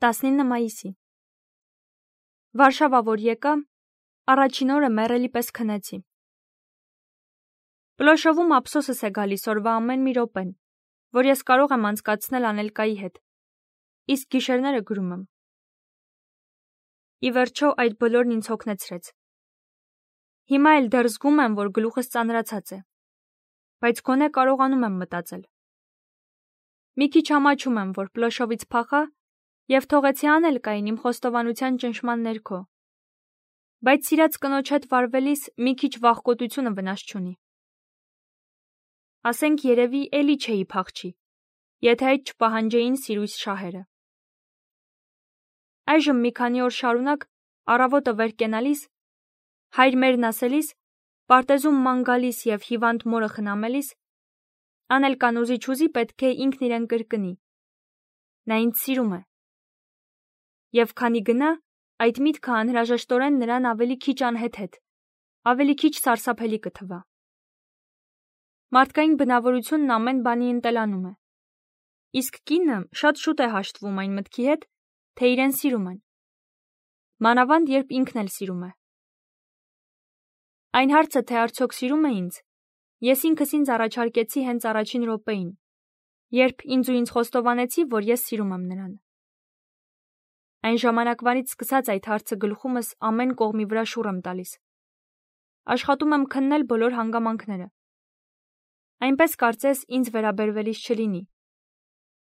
19 մայիսի։ Վարշավա որ եկա, առաջին օրը մեռելի պես քնեցի։ Պլոշովում ափսոսս է գալիս օրվա ամեն մի րոպեն, որ ես կարող եմ անցկացնել Անելկայի հետ, իսկ գիշերները գրում եմ։ Ի վերջո այդ բոլորն ինձ հոգնեցրեց։ Հիմա էլ դեռ զգում եմ, որ գլուխս ծանրացած է, բայց գոնե կարողանում եմ մտածել։ Մի քիչ ամաչում եմ, որ Պլոշովից փախա և թողեցի Անելկային իմ խոստովանության ճնշման ներքո, բայց սիրած կնոջ հետ վարվելիս մի քիչ վախկոտությունը վնաս չունի։ Ասենք երևի էլի չէի փախչի, եթե այդ չպահանջեին սիրույս շահերը։ Այժմ մի քանի օր շարունակ առավոտը վեր կենալիս, հայր մերն ասելիս, պարտեզում ման գալիս և հիվանդ մորը խնամելիս, Անելկան ուզի-չուզի պետք է ինքն իրեն կրկնի. նա ինձ սիրում է։ Եվ քանի գնա, այդ միտքը անհրաժեշտորեն նրան ավելի քիչ անհեթեթ, ավելի քիչ սարսափելի կթվա։ Մարդկային բնավորությունն ամեն բանի ընտելանում է, իսկ կինը շատ շուտ է հաշտվում այն մտքի հետ, թե իրեն սիրում են, մանավանդ երբ ինքն էլ սիրում է։ Այն հարցը, թե արդյոք սիրում է ինձ, ես ինքս ինձ առաջարկեցի հենց առաջին րոպեին, երբ ինձ ու ինձ խոստովանեցի, որ ես սիրում եմ նրան։ Այն ժամանակվանից սկսած այդ հարցը գլխումս ամեն կողմի վրա շուռ եմ տալիս։ Աշխատում եմ քննել բոլոր հանգամանքները։ Այնպես կարծես ինձ վերաբերվելիս չլինի,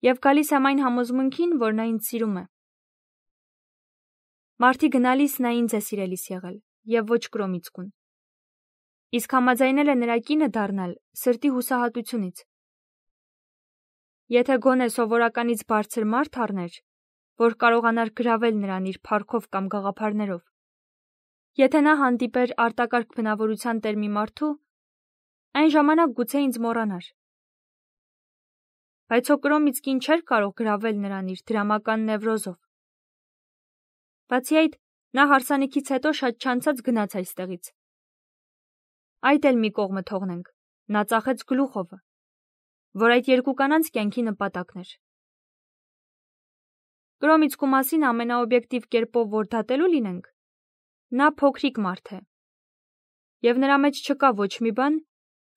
և գալիս եմ այն համոզմունքին, որ նա ինձ սիրում է։ Մարտի գնալիս նա ինձ է սիրելիս եղել, և ոչ Կրոմիցկուն։ Իսկ համաձայնել է նրա կինը դառնալ սրտի հուսահատությունից։ Եթե գոնե սովորականից բարձր մարդ առներ, որ կարողանար գրավել նրան իր փառքով կամ գաղափարներով, եթե նա հանդիպեր արտակարգ բնավորության տեր մի մարդու, այն ժամանակ գուցե ինձ մոռանար։ Բայց հո Կրոմիցկին չէր կարող գրավել նրան իր դրամական նևրոզով։ Բացի այդ, նա հարսանիքից հետո շատ չանցած գնաց այստեղից։ Այդ էլ մի կողմը թողնենք, նա ծախեց գլուխովը, որ այդ երկու կանանց կյանքի նպատակն էր։ Կրոմիցկու մասին ամենաօբյեկտիվ կերպով որ դատելու լինենք, նա փոքրիկ մարդ է, և նրա մեջ չկա ոչ մի բան,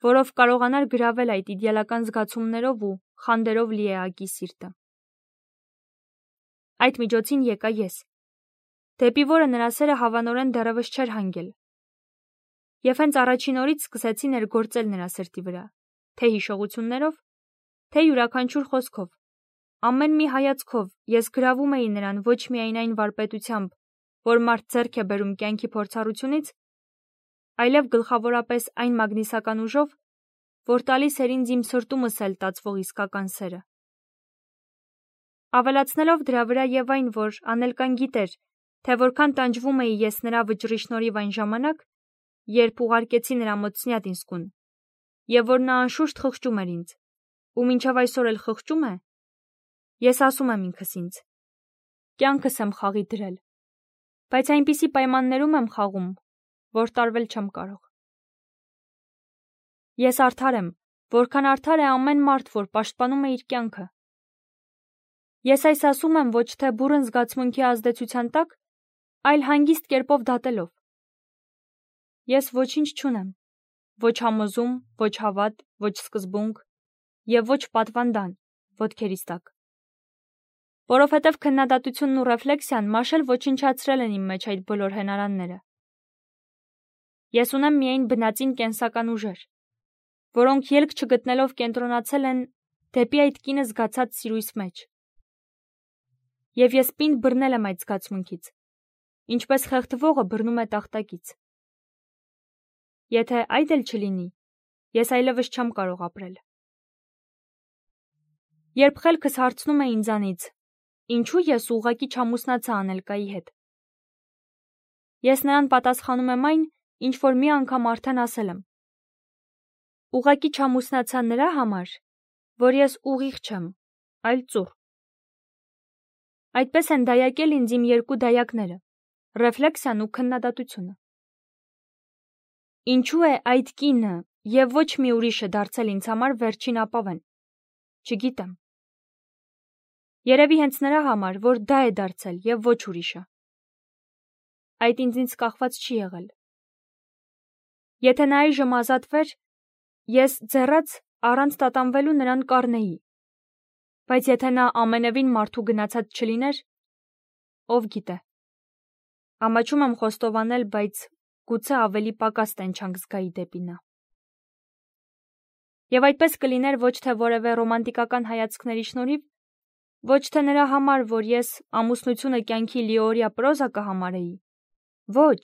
որով կարողանար գրավել այդ իդեալական զգացումներով ու խանդերով լի էակի սիրտը։ Այդ միջոցին եկա ես, դեպի որը նրա սերը հավանորեն դեռևս չէր հանգել։ Եվ հենց առաջին օրից սկսեցի ներգործել նրա սրտի վրա, թե հիշողություններով, թե յուրաքանչյուր խոսքով, ամեն մի հայացքով ես գրավում էի նրան ոչ միայն այն վարպետությամբ, որ մարդ ձեռք է բերում կյանքի փորձառությունից, այլև գլխավորապես այն մագնիսական ուժով, որ տալիս էր ինձ իմ սրտումս էլ տածվող իսկական սերը։ Ավելացնելով դրա վրա և այն, որ Անելկան գիտեր, թե որքան տանջվում էի ես նրա վճռի շնորհիվ այն ժամանակ, երբ ուղարկեցի նրա մոտ Սնյատինսկուն, և որ նա անշուշտ խղճում էր ինձ, ու մինչև այսօր էլ խղճում է, ես ասում եմ ինքս ինձ. կյանքս եմ խաղի դրել, բայց այնպիսի պայմաններում եմ խաղում, որ տարվել չեմ կարող։ Ես արդար եմ, որքան արդար է ամեն մարդ, որ պաշտպանում է իր կյանքը։ Ես այս ասում եմ ոչ թե բուռն զգացմունքի ազդեցության տակ, այլ հանգիստ կերպով դատելով։ Ես ոչինչ չունեմ, ոչ համոզում, ոչ հավատ, ոչ սկզբունք և ոչ պատվանդան ոտքերիս տակ։ Որովհետև քննադատությունն ու ռեֆլեքսիան մաշել ոչնչացրել են իմ մեջ այդ բոլոր հենարանները։ Ես ունեմ միայն բնածին կենսական ուժեր, որոնք ելք չգտնելով կենտրոնացել են դեպի այդ կինը զգացած սիրույս մեջ։ Եվ ես պինդ բռնել եմ այդ զգացմունքից, ինչպես խեղդվողը բռնում է տախտակից։ Եթե այդ էլ չլինի, ես այլևս չեմ կարող ապրել։ Երբ խելքս հարցնում է ինձանից, ինչու ես ուղղակի չամուսնացա Անելկայի հետ, ես նրան պատասխանում եմ այն, ինչ որ մի անգամ արդեն ասել եմ։ Ուղղակի չամուսնացա նրա համար, որ ես ուղիղ չեմ, այլ ծուռ։ Այդպես են դայակել ինձ իմ երկու դայակները՝ ռեֆլեքսիան ու քննադատությունը։ Ինչու է այդ կինը և ոչ մի ուրիշը դարձել ինձ համար վերջին ապավեն, չգիտեմ։ Երևի հենց նրա համար, որ դա է դարձել եւ ոչ ուրիշը։ Այդ ինձնից կախված չի եղել։ Եթե նա այժմ ազատվեր, ես ձեռած առանց տատանվելու նրան կառնեի։ Բայց եթե նա ամենևին մարդու գնացած չլիներ, ով գիտե։ Ամաչում եմ խոստովանել, բայց գուցե ավելի պակաս տենչանք զգայի դեպի նա։ Եվ այդպես կլիներ ոչ թե որևէ ռոմանտիկական հայացքների շնորհիվ, ոչ թե նրա համար, որ ես ամուսնությունը կյանքի լիօրյա պրոզա կհամարեի։ Ոչ,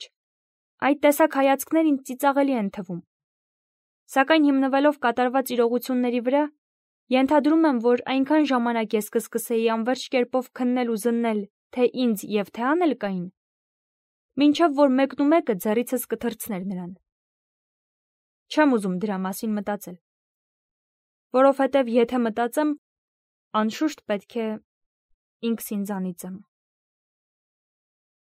այդ տեսակ հայացքներ ինձ ծիծաղելի են թվում։ Սակայն հիմնվելով կատարված իրողությունների վրա, ենթադրում եմ, որ այնքան ժամանակ ես կսկսեի անվերջ կերպով քննել ու զննել, թե ինձ եւ թե անելկային, մինչև որ մեկնումեկը ձեռիցս կթռցներ նրան։ Չեմ ուզում դրա մասին մտածել, որովհետև եթե մտածեմ, անշուշտ պետք է ինքս ինձանից եմ։